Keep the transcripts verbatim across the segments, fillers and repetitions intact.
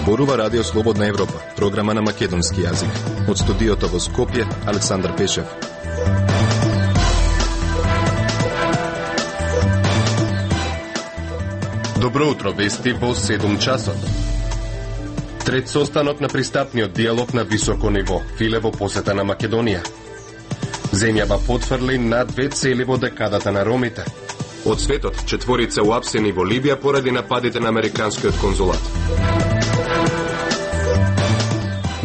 Зборува Радио Слободна Европа, програма на македонски јазик. Од студиото во Скопје, Александар Пешев. Добро утро, вести во седум часот. Трет состанок на пристапниот диалог на високо ниво, Филе во посета на Македонија. Земјава потврли на две цели во декадата на ромите. Од светот, четворица уапсени во Либија поради нападите на американскиот конзулат.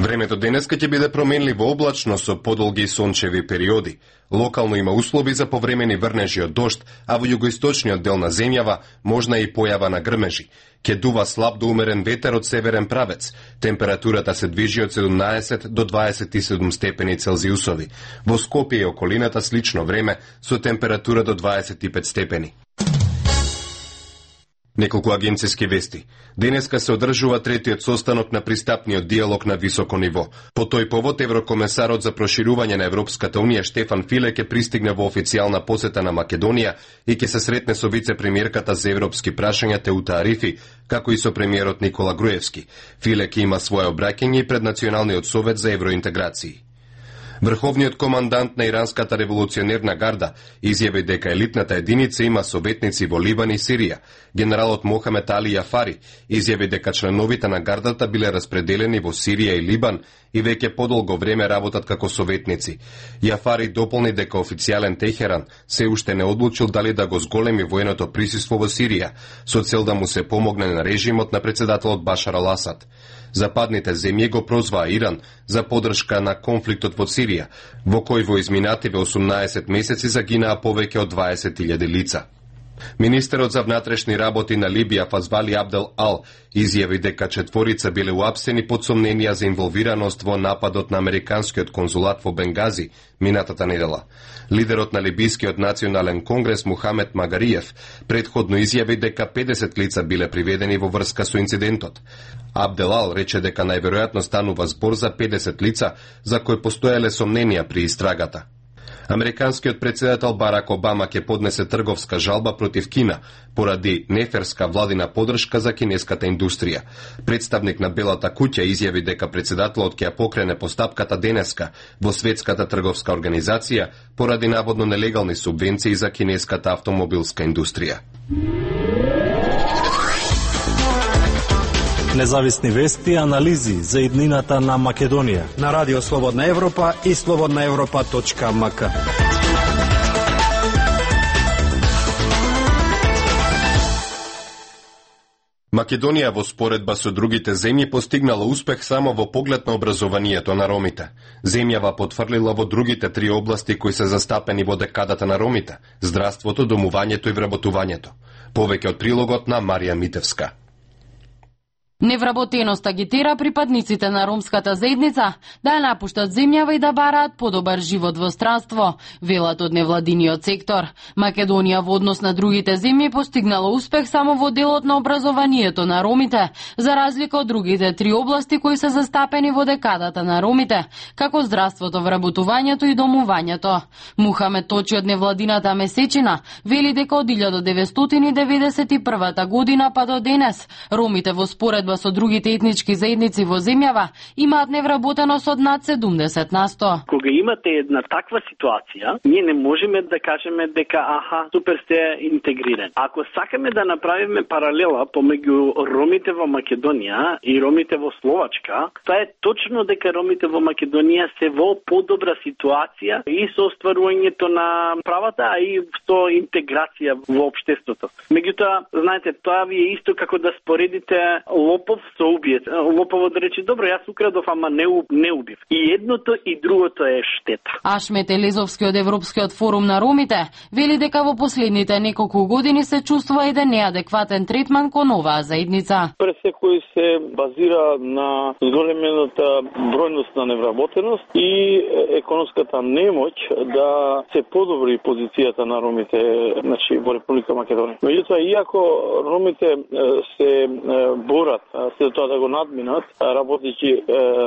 Времето денеска ќе биде променливо облачно со подолги сончеви периоди. Локално има услови за повремени врнежи од дожд, а во југоисточниот дел на земјава можна и појава на грмежи. Ке дува слаб до умерен ветер од северен правец. Температурата се движи од седумнаесет до дваесет и седум степени Целзиусови. Во Скопје и околината слично време со температура до дваесет и пет степени. Неколку агенцијски вести. Денеска се одржува третиот состанок на пристапниот диалог на високо ниво. По тој повод, еврокомесарот за проширување на Европската Унија Штефан Филе ќе пристигне во официјална посета на Македонија и ќе се сретне со вице-премиерката за европски прашања Теута Арифи, како и со премиерот Никола Груевски. Филе ќе има свое обраќање и пред Националниот совет за евроинтеграции. Врховниот командант на иранската револуционерна гарда изјави дека елитната единица има советници во Либан и Сирија. Генералот Мохамед Али Јафари изјави дека членовите на гардата биле распределени во Сирија и Либан и веќе подолго време работат како советници. Јафари дополни дека официјален Техеран се уште не одлучил дали да го зголеми военото присуство во Сирија, со цел да му се помогне на режимот на председателот Башар ал Асад. Западните земји го прозваа Иран за поддршка на конфликтот во Сирија, во кој во изминативе осумнаесет месеци загинаа повеќе од дваесет илјади лица. Министерот за внатрешни работи на Либија Фазвали Абдел Ал изјави дека четворица биле уапсени под сомненија за инволвираност во нападот на американскиот конзулат во Бенгази минатата недела. Лидерот на Либискиот национален конгрес Мухамед Магариев претходно изјави дека педесет лица биле приведени во врска со инцидентот. Абдел Ал рече дека најверојатно станува збор за педесет лица за кои постоеле сомненија при истрагата. Американскиот председател Барак Обама ќе поднесе трговска жалба против Кина поради неферска владина поддршка за кинеската индустрија. Представник на Белата куќа изјави дека председателот ќе ја покрене постапката денеска во Светската трговска организација поради наводно нелегални субвенции за кинеската автомобилска индустрија. Независни вести и анализи за иднината на Македонија на Радио Слободна Европа и слободна европа точка ем ка. Македонија во споредба со другите земји постигнала успех само во поглед на образованието на ромите. Земјава потврлила во другите три области кои се застапени во декадата на ромите: здравството, домувањето и вработувањето. Повеќе од прилогот на Марија Митевска. Невработеност агитира припадниците на ромската заедница да ја напуштат земјава и да бараат подобар живот во странство, велат од невладиниот сектор. Македонија во однос на другите земји постигнала успех само во делот на образованието на ромите, за разлика од другите три области кои се застапени во декадата на ромите, како здравството, вработувањето и домувањето. Мухамед Точи од невладината Месечина вели дека од илјада деветстотини деветдесет и прва година па до денес ромите во споредба со другите етнички заедници во земјава имаат невработеност од над седумдесет на сто. Кога имате една таква ситуација, ние не можеме да кажеме дека аха, супер сте интегрирани. Ако сакаме да направиме паралела помеѓу ромите во Македонија и ромите во Словачка, тоа е точно дека ромите во Македонија се во подобра ситуација и со остварувањето на правата, а и со интеграција во општеството. Меѓутоа, знаете, тоа ви е исто како да споредите лопов со убиец. Лоповот да рече, добро, јас украдов, ама не, не убив. И едното и другото е штета. Ашмет Елезовски од Европскиот форум на ромите вели дека во последните неколку години се чувствува еден неадекватен третман кон оваа заедница. Пред секој се базира на зголемената бројност на невработеност и економската немоќ да се подобри позицијата на ромите, значи, во Република Македонија. Меѓутоа, иако ромите се борат се тоа да го надминат, работејќи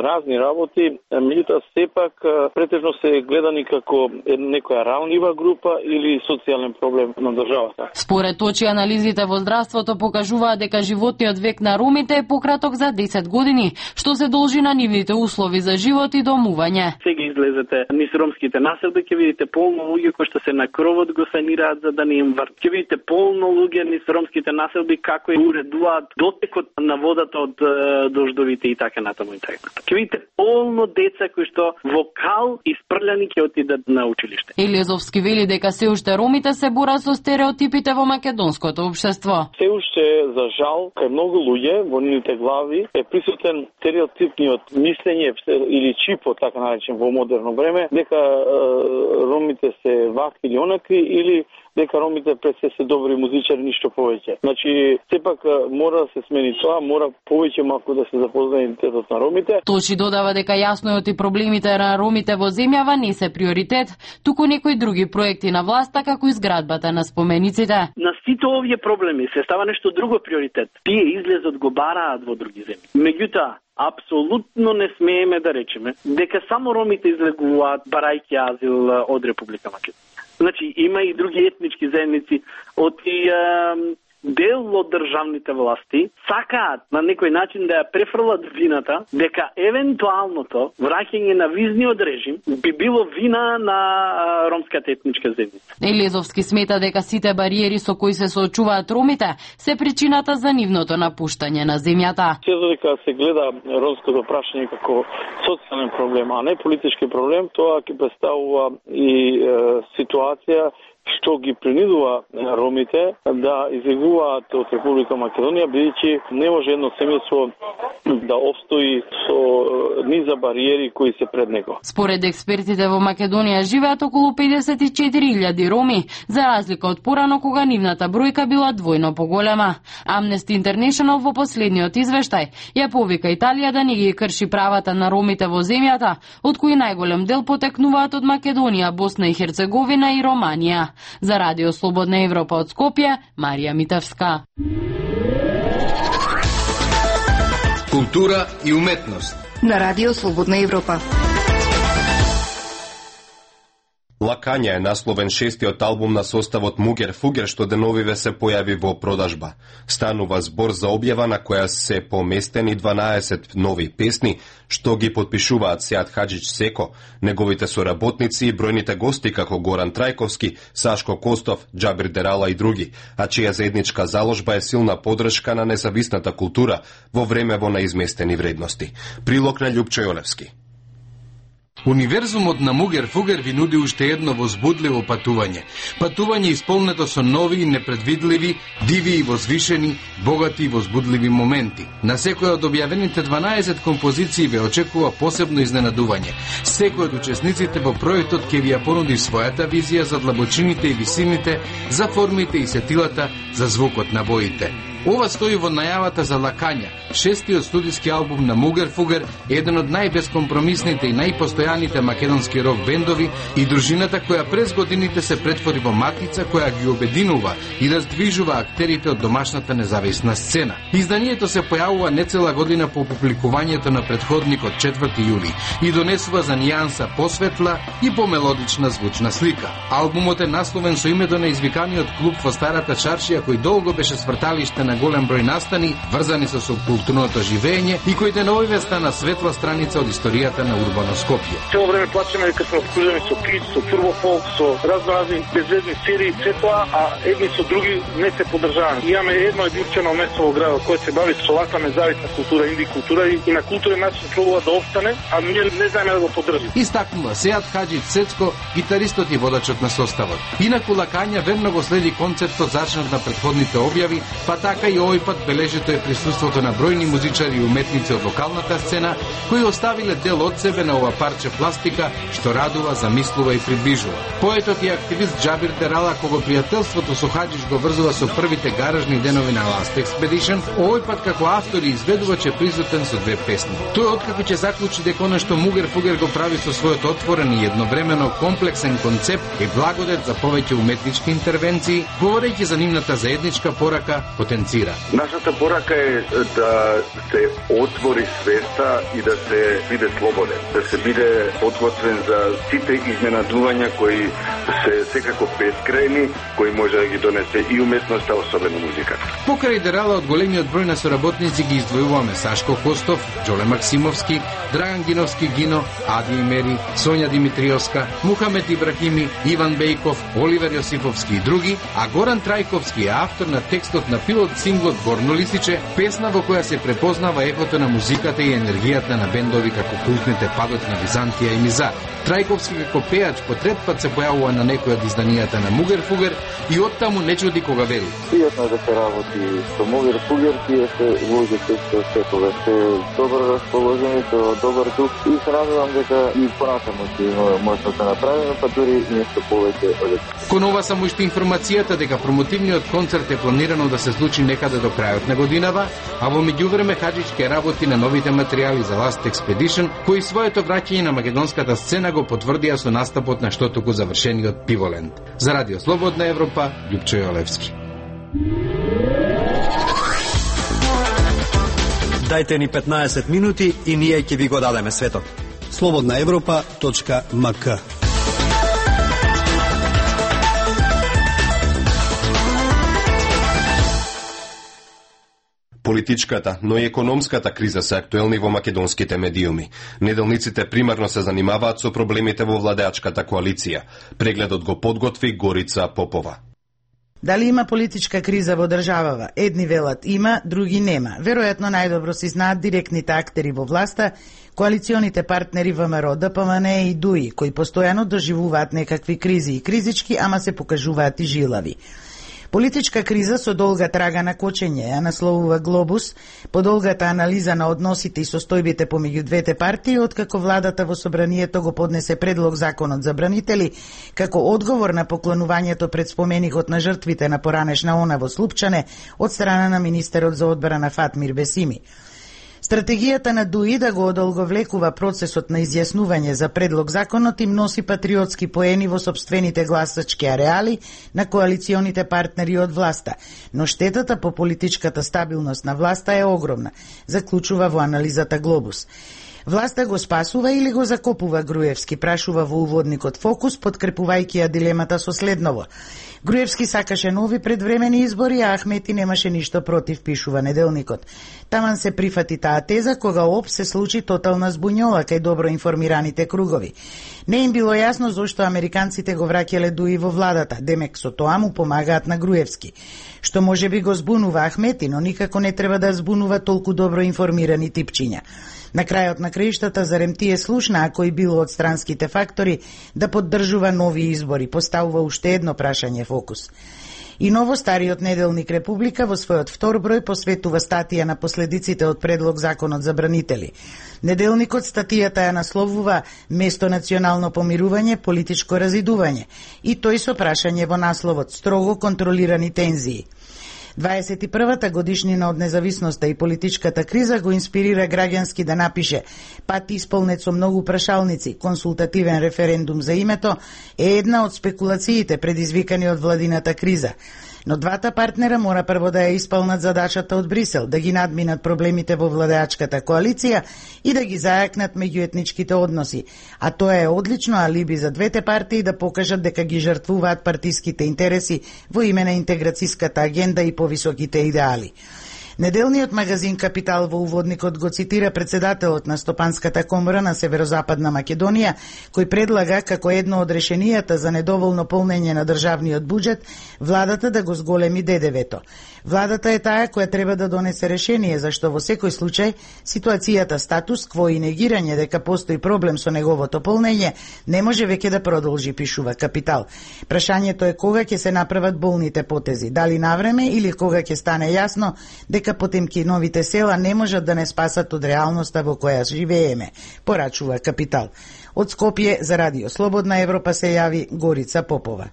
разни работи, меѓутоа сепак претежно се гледани како некоја ранлива група или социјален проблем на државата. Според очи анализите во здравството покажуваат дека животниот век на ромите е пократок за десет години, што се должи на нивните услови за живот и домување. Сега излезете низ ромските населби, ќе видите полно луѓе кои што се на кровот го санираат за да не им врт. Ќе видите полно луѓе низ ромските населби како и уредуваат дотекот на водата од дождовите и така натаму и така. Ќе видите полно деца кои што во кал испрљани ќе отидат на училиште. Елиезовски вели дека се уште ромите се борат со стереотипите во македонското општество. Се уште за жал кај многу луѓе во нивните глави е присутен стереотипниот мислење или чипот, така наречен во модерно време, дека е, ромите се вакви или онакви или дека ромите пред се се добри музичари, ништо повеќе. Значи, сепак мора да се смени тоа, мора повеќе малку да се запознае идентитетот на ромите. Точи додава дека јасно е оти проблемите на ромите во земјава не се приоритет, туку некои други проекти на власта како изградбата на спомениците. На сите овие проблеми се става нешто друго приоритет. Тие излезот го бараат во други земји. Меѓутоа, апсолутно не смееме да речеме дека само ромите излегуваат барајќи азил од Република Македонија. Значи, има и други етнички заедници од и е, дел од државните власти сакаат на некој начин да ја префрлат вината дека евентуалното враќање на визниот режим би било вина на а, ромската етничка заедница. Елезовски смета дека сите бариери со кои се соочуваат ромите се причината за нивното напуштање на земјата. Се додека се гледа ромското прашање како социјален проблем, а не политички проблем, тоа ќе представува и е, ситуација што ги принудува ромите да излегуваат од Република Македонија, бидејќи не може едно семејство да обстои со низа бариери кои се пред него. Според експертите во Македонија живеат околу педесет и четири илјади роми, за разлика од порано кога нивната бројка била двојно поголема. Amnesty International во последниот извештај ја повика Италија да не ги крши правата на ромите во земјата, од кои најголем дел потекнуваат од Македонија, Босна и Херцеговина и Романија. За Радио Слободна Европа од Скопје, Марија Митевска. Култура и уметност на Радио Слободна Европа. Лакања е насловен шестиот албум на составот Мугер Фугер што деновиве се појави во продажба. Станува збор за објава на која се поместени дванаесет нови песни, што ги подпишуваат Сеат Хаџич Секо, неговите соработници и бројните гости како Горан Трајковски, Сашко Костов, Џабир Дерала и други, а чија заедничка заложба е силна подршка на независната култура во време во неизместени вредности. Прилог на Љупчо Јолевски. Универзумот на Мугер Фугер ви нуди уште едно возбудливо патување. Патување исполнето со нови, непредвидливи, диви и возвишени, богати и возбудливи моменти. На секој од објавените дванаесет композиции ве очекува посебно изненадување. Секој од учесниците во проектот ќе ви ја понуди својата визија за длабочините и висините, за формите и сетилата, за звукот на боите. Ова стои во најавата за Лакања, шестиот студиски албум на Мугер Фугер, еден од најбескомпромисните и најпостојаните македонски рок бендови и дружината која през годините се претвори во матица која ги обединува и раздвижува актерите од домашната независна сцена. Изданието се појавува нецела година по публикувањето на претходникот четврти јули и донесува за нијанса посветла и помелодична звучна слика. Албумот е насловен со името на извиканиот клуб во Старата Чаршија кој долго беше сврталиште на голем број настани, врзани со субкултурното живење и кој деновиве стана светла страница од историјата на урбано Скопје. Цело време плачеме дека сме обкружени со клип, со турбофолк, со разноразни безвезни серии, се тоа, а едни со други не се поддржаваме. Имаме едно единствено место во градот кој се бави со ваква независна култура, инди култура и на културен начин пробува да остане, а ние не знаеме да го поддржиме. Истакнува Сеат Хаџич Сецко, гитаристот и водачот на составот. Инаку Лакања верно го следи концептот зачнат на претходните објави, па така и овој пат бележито е присуството на бројни музичари и уметници од локалната сцена кои оставиле дел од себе на ова парче пластика што радува, замислува и приближува. Поетот и активист Џабир Дерала, кого пријателството со Хаџич го врзува со првите гаражни денови на Last Expedition, овој пат како автор и изведувач е присутен со две песни. Тој откако ќе заклучи дека она што Мугер Фугер го прави со својот отворен и едновремено комплексен концепт е благодет за повеќе уметнички интервенции, говорејќи за нивната заедничка порака, потенцијал финансира. Нашата порака е да се отвори свеста и да се биде слободен, да се биде подготвен за сите изненадувања кои се секако бескрајни, кои може да ги донесе и уметноста, особено музиката. Покрај дерала од големиот број на соработници ги издвојуваме Сашко Костов, Џоле Максимовски, Драган Гиновски Гино, Ади Имери, Сонја Димитриовска, Мухамед Ибрахими, Иван Бејков, Оливер Јосифовски и други, а Горан Трајковски е автор на текстот на пилот синглот Горно лисиче, песна во која се препознава ехото на музиката и енергијата на бендови како култните Падот на Византија и Мизар. Трајковски како пејач по трет пат се појавува на некој од изданијата на Мугер Фугер и оттаму не чуди кога вели. Пријатно да се работи со Мугер Фугер, тие се луѓе се светове, се добро расположени, со добар дух и се надевам дека и понатаму ќе може да се направи, па дури нешто повеќе од тоа. Кон ова само уште информацијата дека промотивниот концерт е планирано да се случи некаде до крајот на годинава, а во меѓувреме Хаџич ке работи на новите материјали за Last Expedition, кои своето враќање на македонската сцена го потврдија со настапот на што току завршениот Пиволенд. За Радио Слободна Европа, Љупчо Јолевски. Дајте ни петнаесет минути и ние ќе ви го дадеме светот. слободна европа точка ем ка. Политичката, но и економската криза се актуелни во македонските медиуми. Неделниците примарно се занимаваат со проблемите во владеачката коалиција. Прегледот го подготви Горица Попова. Дали има политичка криза во државава? Едни велат има, други нема. Веројатно најдобро се знаат директните актери во власта, коалиционите партнери ВМРО, ДПМН и ДУИ, кои постојано доживуваат некакви кризи и кризички, ама се покажуваат и жилави. Политичка криза со долга трага на кочење, ја насловува Глобус, по долгата анализа на односите и состојбите помеѓу двете партии, откако владата во собранието го поднесе предлог законот за бранители, како одговор на поклонувањето пред споменикот на жртвите на поранешна она во Слупчане од страна на министерот за одбрана Фатмир Бесими. Стратегијата на ДУИ да го одолговлекува процесот на изјаснување за предлог законот им носи патриотски поени во сопствените гласачки ареали на коалиционите партнери од власта, но штетата по политичката стабилност на власта е огромна, заклучува во анализата Глобус. Власта го спасува или го закопува Груевски, прашува во уводникот Фокус, подкрепувајќи ја дилемата со следново. Груевски сакаше нови предвремени избори, а Ахмети немаше ништо против, пишува неделникот. Таман се прифати таа теза кога ОП се случи тотална збуњола кај добро информираните кругови. Не им било јасно зошто американците го враќале ДУИ во владата, демек со тоа му помагаат на Груевски. Што може би го збунува Ахмети, но никако не треба да збунува толку добро информирани типчиња. На крајот на краиштата зарем тие слушнаа кој било од странските фактори да поддржува нови избори, поставува уште едно прашање Фокус. И новостариот неделник Република во својот втор број посветува статија на последиците од предлог законот за бранители. Неделникот статијата ја насловува место национално помирување, политичко разидување и тој со прашање во насловот строго контролирани тензии. дваесет и првата годишнина од независноста и политичката криза го инспирира граѓански да напише пат исполнет со многу прашалници, консултативен референдум за името е една од спекулациите предизвикани од владината криза. Но двата партнера мора прво да ја исполнат задачата од Брисел, да ги надминат проблемите во владеачката коалиција и да ги зајакнат меѓуетничките односи. А тоа е одлично алиби за двете партии да покажат дека ги жртвуваат партиските интереси во име на интеграцијската агенда и повисоките идеали. Неделниот магазин Капитал во уводникот го цитира председателот на Стопанската комора на Северозападна Македонија, кој предлага како едно од решенијата за недоволно полнење на државниот буџет владата да го зголеми ДДВ-то. Владата е таа која треба да донесе решение, зашто во секој случај ситуацијата статус кво и негирање дека постои проблем со неговото полнење не може веќе да продолжи, пишува Капитал. Прашањето е кога ќе се направат болните потези, дали навреме или кога ќе стане јасно дека Потемкиновите села не можат да не спасат од реалноста во која живееме, порачува Капитал. Од Скопје за Радио Слободна Европа се јави Горица Попова.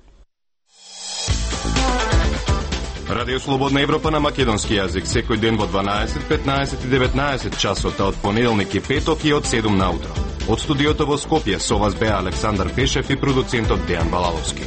Радио Слободна Европа на македонски јазик секој ден во дванаесет, петнаесет и деветнаесет часот од понеделник и петок и од седум наутро. Од студиото во Скопје со вас беа Александар Пешев и продуцентот Дејан Балаловски.